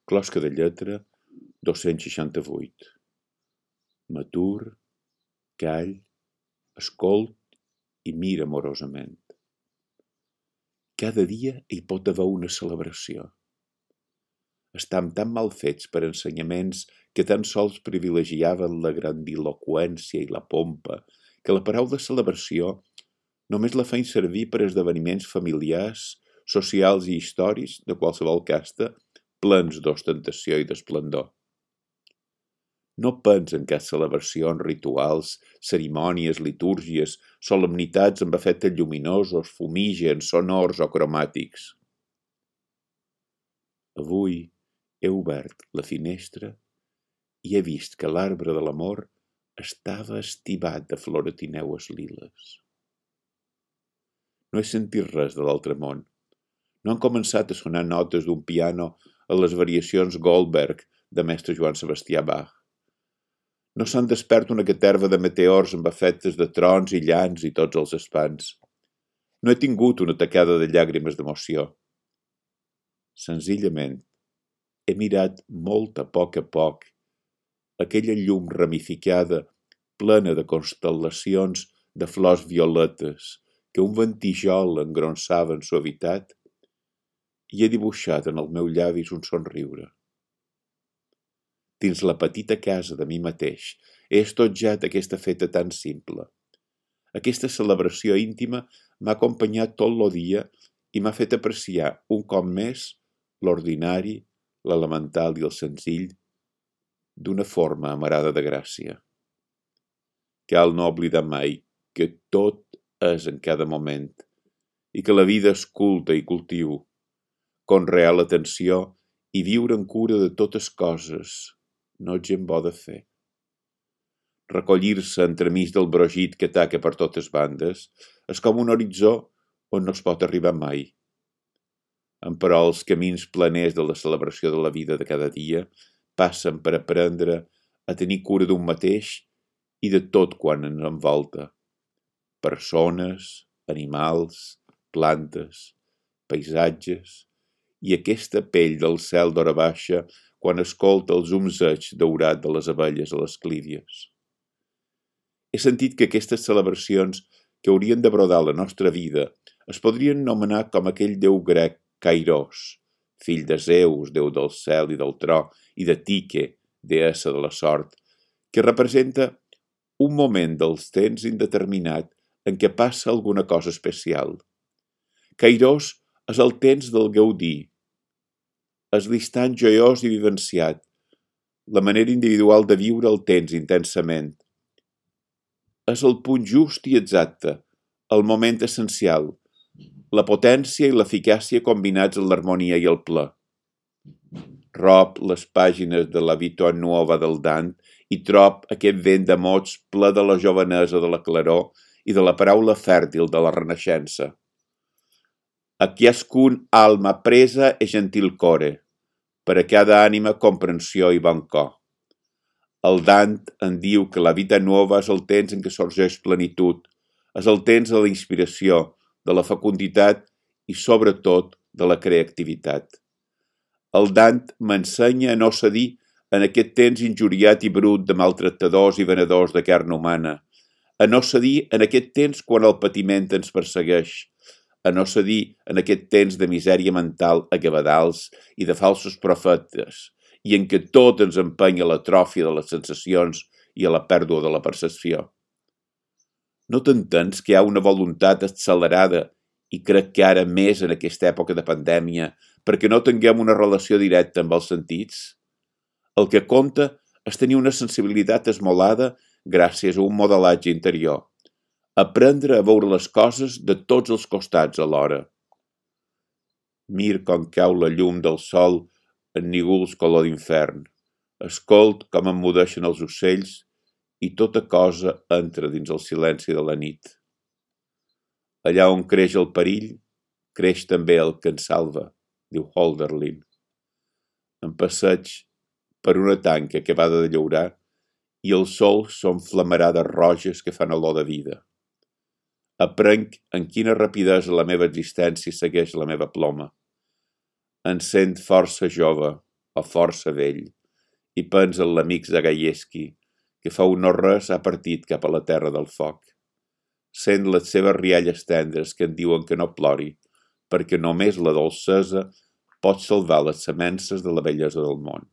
Closca de lletra 268. M'atur, call, escolt i mira amorosament. Cada dia hi pot haver una celebració. Estam tan mal fets per ensenyaments que tan sols privilegiaven la grandiloqüència i la pompa que la paraula celebració només la feien servir per esdeveniments familiars, socials i històrics de qualsevol casta, plens d'ostentació i d'esplendor. No pensen que celebracions, rituals, cerimònies, litúrgies, solemnitats amb efectes lluminosos, fumígens, sonors o cromàtics. Avui he obert la finestra i he vist que l'arbre de l'amor estava estivat de floretineues liles. No he sentit res de l'altre món. No han començat a sonar notes d'un piano a les variacions Goldberg de mestre Joan Sebastià Bach. No s'han despert una caterva de meteors amb efectes de trons i llans i tots els espants. No he tingut una tacada de llàgrimes d'emoció. Senzillament, he mirat molt a poc aquella llum ramificada, plena de constel·lacions de flors violetes que un ventijol engronsava en suavitat, i he dibuixat en el meu llavis un somriure. Dins la petita casa de mi mateix he estotjat aquesta feta tan simple. Aquesta celebració íntima m'ha acompanyat tot el dia i m'ha fet apreciar un cop més l'ordinari, l'elemental i el senzill d'una forma amarada de gràcia. Cal no oblidar mai que tot és en cada moment i que la vida és culta i cultiu, conrear l'atenció i viure en cura de totes coses no és gent bo de fer. Recollir-se entremig del brogit que ataca per totes bandes és com un horitzó on no es pot arribar mai. Emperò els camins planers de la celebració de la vida de cada dia passen per aprendre a tenir cura d'un mateix i de tot quan ens envolta. Persones, animals, plantes, paisatges i aquesta pell del cel d'hora baixa quan escolta els zumzeig daurat de les abelles a les clívies. He sentit que aquestes celebracions que haurien de brodar la nostra vida es podrien anomenar com aquell déu grec Kairos, fill de Zeus, déu del cel i del tro, i de Tike, deessa de la sort, que representa un moment dels temps indeterminat en què passa alguna cosa especial. Kairos és el temps del gaudir, és l'instant joiós i vivenciat, la manera individual de viure el temps intensament. És el punt just i exacte, el moment essencial, la potència i l'eficàcia combinats en l'harmonia i el ple. Rob les pàgines de la Vita Nuova del Dant i trob aquest vent de mots ple de la jovenesa de la claror i de la paraula fèrtil de la renaixença. A ciascun alma presa e gentil core, per a cada ànima comprensió i bon cor. El Dant en diu que la Vita Nuova és el temps en què sorgeix plenitud, és el temps de la inspiració, de la fecunditat i, sobretot, de la creativitat. El Dant m'ensenya a no cedir en aquest temps injuriat i brut de maltractadors i venedors de carn humana, a no cedir en aquest temps quan el patiment ens persegueix, a no cedir en aquest temps de misèria mental a cabadals i de falsos profetes, i en què tot ens empenya a l'atròfia de les sensacions i a la pèrdua de la percepció. No t'entens que hi ha una voluntat accelerada, i crec que ara més en aquesta època de pandèmia, perquè no tinguem una relació directa amb els sentits? El que compta és tenir una sensibilitat esmolada gràcies a un modelatge interior. Aprendre a veure les coses de tots els costats alhora. Mir com cau la llum del sol en nígols color d'infern. Escolt com emmudeixen els ocells i tota cosa entra dins el silenci de la nit. Allà on creix el perill, creix també el que ens salva, diu Hölderlin. Em passeig per una tanca acabada de llaurar i els sols són flamarades roges que fan olor de vida. Aprenc en quina rapidesa la meva existència segueix la meva ploma. Em sent força jove, o força vell, i pensa en l'amic Zagajewski, que fa no res ha partit cap a la terra del foc. Sent les seves rialles tendres que en diuen que no plori, perquè només la dolcesa pot salvar les semences de la bellesa del món.